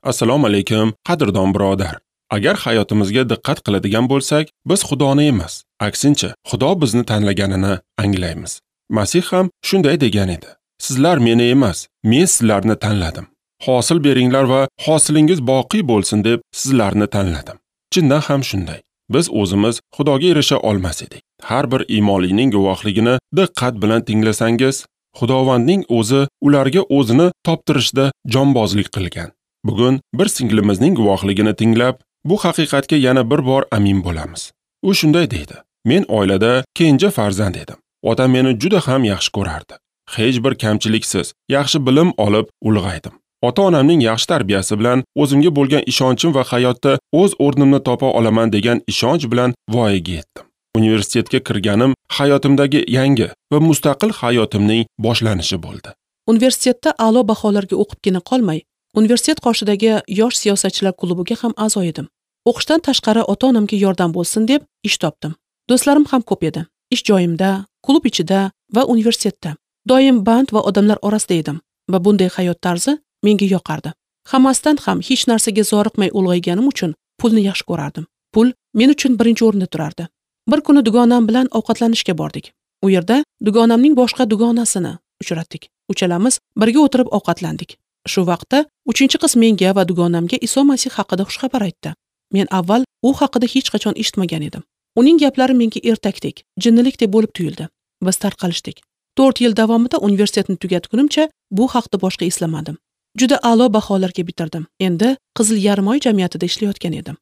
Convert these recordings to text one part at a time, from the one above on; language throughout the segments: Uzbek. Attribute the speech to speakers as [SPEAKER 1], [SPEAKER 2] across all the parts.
[SPEAKER 1] Assalomu alaykum, qadrdon birodar. Agar hayotimizga diqqat qiladigan bo'lsak, biz Xudoni emas, aksincha, Xudo bizni tanlaganini anglaymiz. Masih ham shunday degan edi: Sizlar meni emas, men sizlarni tanladim. Hosil beringlar va hosilingiz boqiy bo'lsin deb sizlarni tanladim. Chindan ham shunday. Biz o'zimiz Xudoga erisha olmas edik. Har bir iymonlining guvohligini diqqat bilan tinglasangiz, Xudovandning o'zi ularga o'zini toptirishda jonbozlik qilgan. Bugun bir singlimizning guvohligini tinglab, bu haqiqatga yana bir bor amin bo'lamiz. U shunday deydi: Men oilada kenja farzand edim. Otam meni juda ham yaxshi ko'rardi. Hech bir kamchiliksiz, yaxshi bilim olib ulg'aydim. Ota-onamning yaxshi tarbiyasi bilan o'zimga bo'lgan ishonchim va hayotda o'z o'rnimni topa olaman degan ishonch bilan voyaga yetdim. Universitetga kirganim hayotimdagi yangi va mustaqil hayotimning boshlanishi bo'ldi.
[SPEAKER 2] Universitetda a'lo baholarga o'qibgina qolmay, universitet qoshidagi yosh siyosatchilar klubiga ham a'zo edim. O'qishdan tashqari ota-onamga yordam bo'lsin deb ish topdim. Do'stlarim ham ko'p edi. Ish joyimda, klub ichida va universitetda. Doim band va odamlar orasida edim va bunday hayot tarzi menga yoqardi. Hammasidan ham hech narsaga zoriqmay ulg'ayganim uchun pulni yaxshi ko'rardim. Pul men uchun birinchi o'rinda turardi. Bir kuni dugonam bilan ovqatlanishga bordik. U yerda dugonamning boshqa dugonasini uchratdik. Uchalamiz birga o'tirib ovqatlandik. Shu vaqtda uchinchi qiz menga va dugonamga Iso Masih haqida xushxabar aytdi. Men avval u haqida hech qachon eshitmagan edim. Uning gaplari menga ertakdek, jinnilikdek bo'lib tuyuldi. Biz tarqalishdik. 4 yil davomida universitetni tugatgunimcha bu haqda boshqa eslamadim. Juda a'lo baholarga bitirdim. Endi Qizil Yarimoy jamiyatida ishlayotgan edim.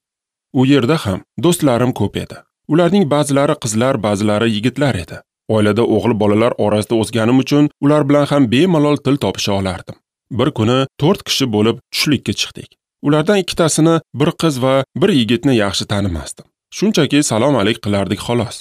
[SPEAKER 1] U yerda ham do'stlarim ko'p edi. Ularning ba'zilari qizlar, ba'zilari yigitlar edi. Oilada o'g'il bolalar orasida o'sganim uchun ular bilan ham bemalol til topisha olardim. Bir kuni 4 kishi bo'lib tushlikka chiqdik. Ulardan ikkitasini, bir qiz va bir yigitni yaxshi tanimasdim. Shunchaki salom alik qilardik xolos.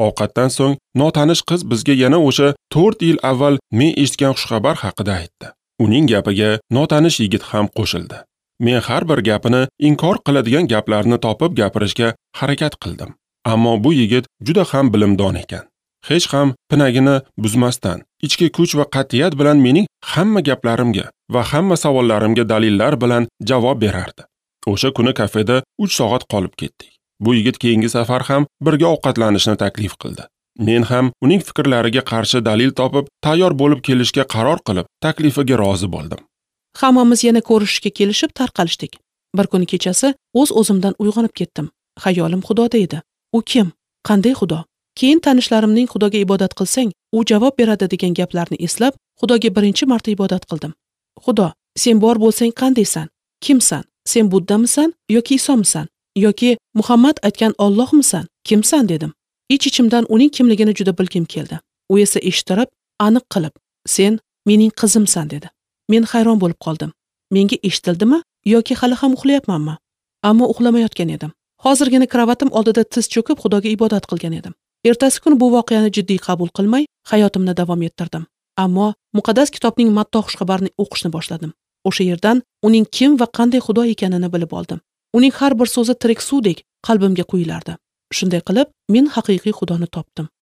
[SPEAKER 1] Ovqatdan so'ng notanish qiz bizga yana o'sha 4 yil avval men eshitgan xushxabar haqida aytdi. Uning gapiga notanish yigit ham qo'shildi. Men har bir gapini inkor qiladigan gaplarni topib gapirishga harakat qildim. Ammo bu yigit juda ham bilimdon ekan. Hech ham pinagini buzmasdan, ichki kuch va qat'iyat bilan mening hamma gaplarimga va hamma savollarimga dalillar bilan javob berardi. O'sha kuni kafeda 3 soat qolib ketdik. Bu yigit keyingi safar ham birga ovqatlanishni taklif qildi. Men ham uning fikrlariga qarshi dalil topib, tayyor bo'lib kelishga qaror qilib, taklifiga rozi bo'ldim.
[SPEAKER 2] Hammamiz yana ko'rishishga kelishib tarqalishdik. Bir kuni kechasi o'z-o'zimdan uyg'onib ketdim. Xayolim Xudoda edi. U kim? Qanday Xudo? Keyin tanishlarimning Xudoga ibodat qilsang, u javob beradi degan gaplarni eslab, Xudoga birinchi marta ibodat qildim. Xudo, sen bor bo'lsang qandaysan? Kimsan? Sen Buddamisan yoki Isomisan? Yoki Muhammad aytgan Allohmisan? Kimsan dedim. Ich-ichimdan uning kimligini juda bilgim keldi. U esa eshittirib, aniq qilib, sen mening qizimsan dedi. Men hayron bo'lib qoldim. Menga eshitildimi yoki hali ham uxlayapmanmi? Ammo uxlamayotgan edim. Hozirgina kravatim oldida tiz cho'kib Xudoga ibodat qilgan edim. Ertasi kuni bu voqeani jiddiy qabul qilmay, hayotimni davom ettirdim. Ammo muqaddas kitobning Matto xushxabarini o'qishni boshladim. O'sha yerdan uning kim va qanday Xudo ekanini bilib oldim. Uning har bir so'zi tirik suvdek qalbimga quyilardi. Shunday qilib, men haqiqiy Xudoni topdim.